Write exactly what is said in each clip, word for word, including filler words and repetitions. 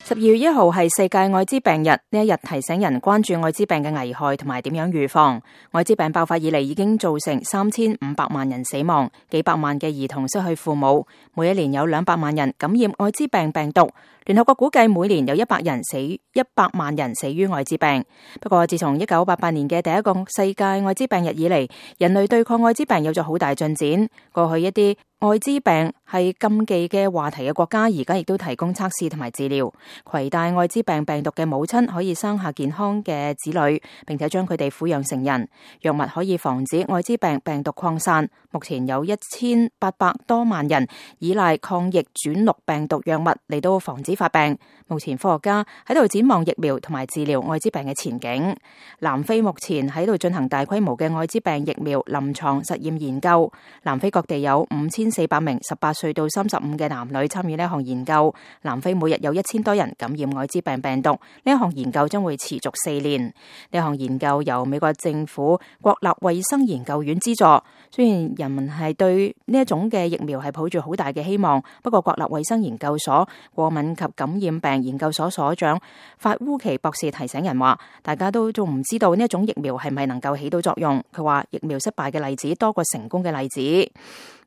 十二月一號係世界艾滋病日，呢一日提醒人關注艾滋病嘅危害同埋點樣預防。艾滋病爆發以嚟已經造成三千五百萬人死亡，幾百萬嘅兒童失去父母，每一年有兩百萬人感染艾滋病病毒。聯合國估計每年有一百人死，一百萬人死於艾滋病。不過自從一九八八年嘅第一個世界艾滋病日以嚟，人類對抗艾滋病有咗好大進展。過去一啲艾滋病係禁忌嘅話題嘅國家，而家亦都提供測試同埋治療。攜帶艾滋病病毒嘅母親可以生下健康嘅子女，並且將佢哋撫養成人。藥物可以防止艾滋病病毒擴散。目前有一千八百多萬人依賴抗疫轉錄病毒藥物嚟到防止發病。目前科學家喺度展望疫苗同埋治療艾滋病嘅前景。南非目前喺度進行大規模嘅艾滋病疫苗臨床實驗研究。南非各地有五千四百名十八歲到三十五嘅男女參與呢項研究。南非每日有一千多人感染艾滋病病毒。呢一項研究將會持續四年。呢項研究由美國政府國立衛生研究院資助。雖然人民係對呢一種嘅疫苗係抱住好大嘅希望，不過國立衛生研究所過敏及感染病研究所所長法烏奇博士提醒人話，大家都仲唔知道呢一種疫苗係咪能夠起到作用。佢話疫苗失敗嘅例子多過成功嘅例子。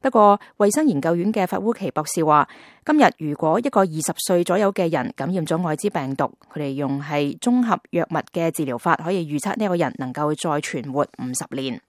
不過衛生研究院嘅法烏奇博士話，今日如果一個二十歲左右嘅人感染咗艾滋病毒，佢哋用係綜合藥物嘅治療法，可以預測呢個人能夠再存活五十年。